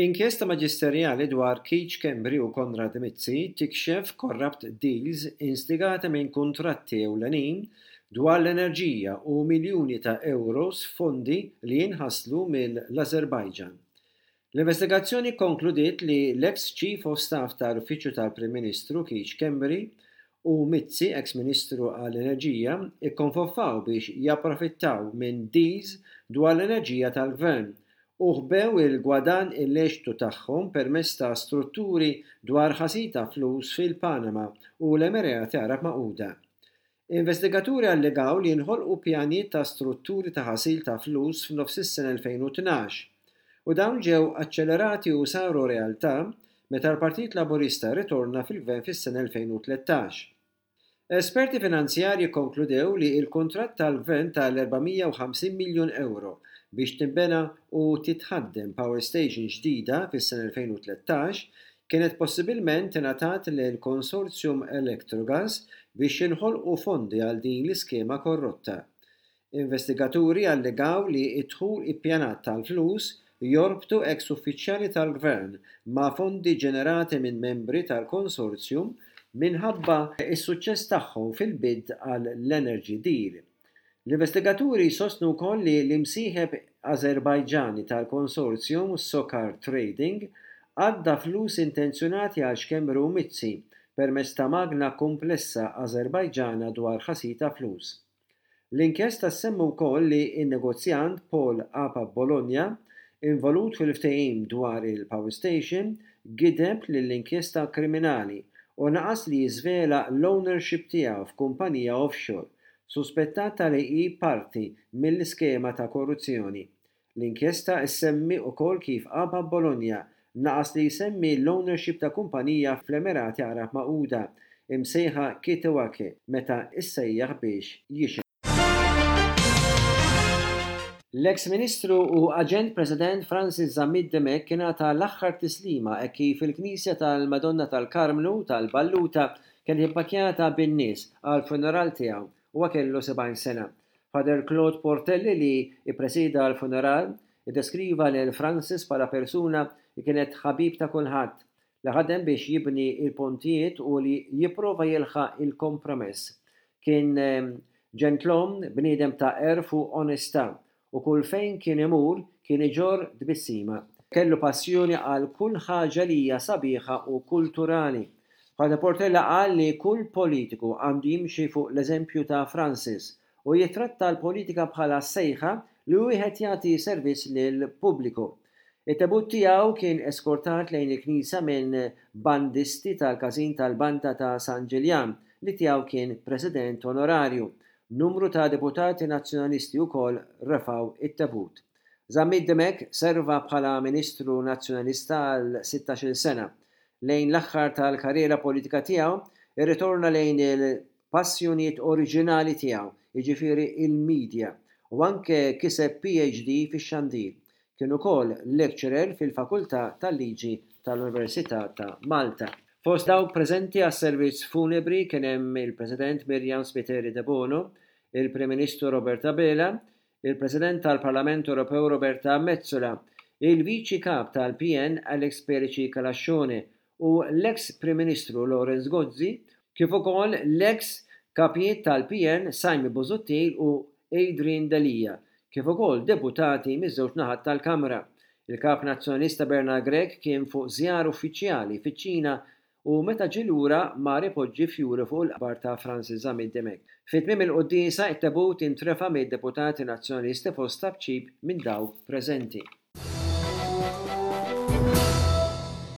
Inkjesta maġisterjali dwar Keith Schembri u Konrad Mizzi tikxef corrupt deals instigati minn kuntratti ewlenin dwar l-enerġija u miljuni ta' ewros f'fondi li jinħaslu mill-Ażerbajġan. L-investigazzjoni kkonkludiet li l-eks Chief of Staff tal-Uffiċċju tal-Prim Ministru Keith Schembri u Mizzi, eks Ministru għall-Enerġija, ikkonfoffaw biex japprofittaw minn deals dwar l-enerġija tal-Gvern u ħbew il-gwadann illeċitu tagħhom permezz ta' strutturi dwar ħasil ta' flus fil-Panama u l-Emirati Għarab Magħquda. Investigaturi allegaw li nħolqu pjanijiet ta' strutturi ta' ħasil ta' flus f'nofs is-sena 2012 u dawn ġew aċċelerati u saru realtà meta l-Partit Laburista rritorna fil-Gvern fis-sena 2013. Esperti finanzjarji kkonkludew li l-kuntratt tal-Gvern tal-450 miljun ewro biex tinbena u titħaddem power station ġdida fis-sena 2013 kienet possibilment ingħatat lill-konsorzjum Electrogas biex jinħolqu fondi għal din l-iskema korrotta. Investigaturi allegaw li d-dħul ippjanat tal-flus jorbtu eks uffiċjali tal-Gvern ma' fondi ġenerati minn membri tal-konsorzjum minħabba s-suċċess tagħhom fil-bid għall-Energy Deal. L-investigaturi jsostnu wkoll li l-imsieħeb Ażerbajġani tal-konsorzjum Socar Trading għadda flus intenzjonati għal Schembri u Mizzi permezz ta' magna kumplessa Ażerbajġana dwar ħasil ta' flus. L-inkjesta ssemmi wkoll li n-negozjant Paul Apa Bologna, involut fil-ftehim dwar il-power station, gideb lill-inkjesta kriminali u naqas li jiżvela l-ownership tiegħu f'kumpanija offshore, suspettata li hi parti mill-iskema ta' korruzzjoni. L-inkjesta ssemmi ukoll kif Aba Bologna naqas li jsemmi l-ownership ta' kumpanija fl-Emirati Għarab Magħquda, imsejħa Kitewake meta ssejjaħ biex jixhed. L-eks Ministru u Aġent President Francis Zammit Dimech ingħata l-aħħar tislima hekk kif il-Knisja tal-Madonna tal-Karmnu tal-Balluta kienet ippakkjata bin-nies għall-funeral tiegħu. Huwa kellu 70 sena. Father Claude Portelli li ppresieda l-funeral, iddeskriva lil Francis bħala persuna li kienet ħabib ta' kulħadd, li ħadem biex jibni l-pontijiet u li jipprova jilħaq il-kompromess. Kien ġentlom, bniedem ta' għerf u onestà u kull fejn kien imur kien iġorr tbissima. Kellu passjoni għal kull ħaġa li hija sabiħa u kulturali. Father Portella qal li kull politiku għandu jimxi fuq l-eżempju ta' Francis u jittratta l-politika bħala sejħa li wieħed jagħti servizz lill-pubbliku. It-tebut tiegħu kien eskortat lejn il-knisja minn bandisti tal-Każin tal-Banda ta' San Ġiljan li tiegħu kien President Onorarju. Numru ta' deputati Nazzjonalisti wkoll refgħu t-tebut. Zammit Dimech serva bħala Ministru Nazzjonalista għal sittax-il sena. Lejn l-aħħar tal-karriera politika tiegħu, irritorna lejn il-passjonijiet oriġinali tiegħu, jiġifieri l-media, u anke kiseb PhD fix-xandir. Kien ukoll lecturer fil-Fakultà tal-Liġi tal-Università ta' Malta. Fost dawk preżenti għas-servizz funebri kien hemm il-President Myriam Spiteri Debono, il-Prim Ministru Robert Abela, il-President tal-Parlament Ewropew Roberta Metsola, il-Viċi Kap tal-PN Alex Perici Calascione u l-eks Prim Ministru Lawrence Gozzi, kif ukoll l-eks Kapijiet tal-PN Simon Busuttil u Adrian Delia, kif ukoll deputati miż-żewġ naħat tal-Kamra. Il-Kap Nazzjonalista Bernard Grech kien fuq żjara uffiċjali fiċ-Ċina u meta ġie lura mar ipoġġi fjuri fuq il-qabar ta' Francis Zammit Dimech. Fi tmiem il-quddiesa, it-tebut intrefa' mid-deputati Nazzjonalisti fost tapċip minn dawk preżenti.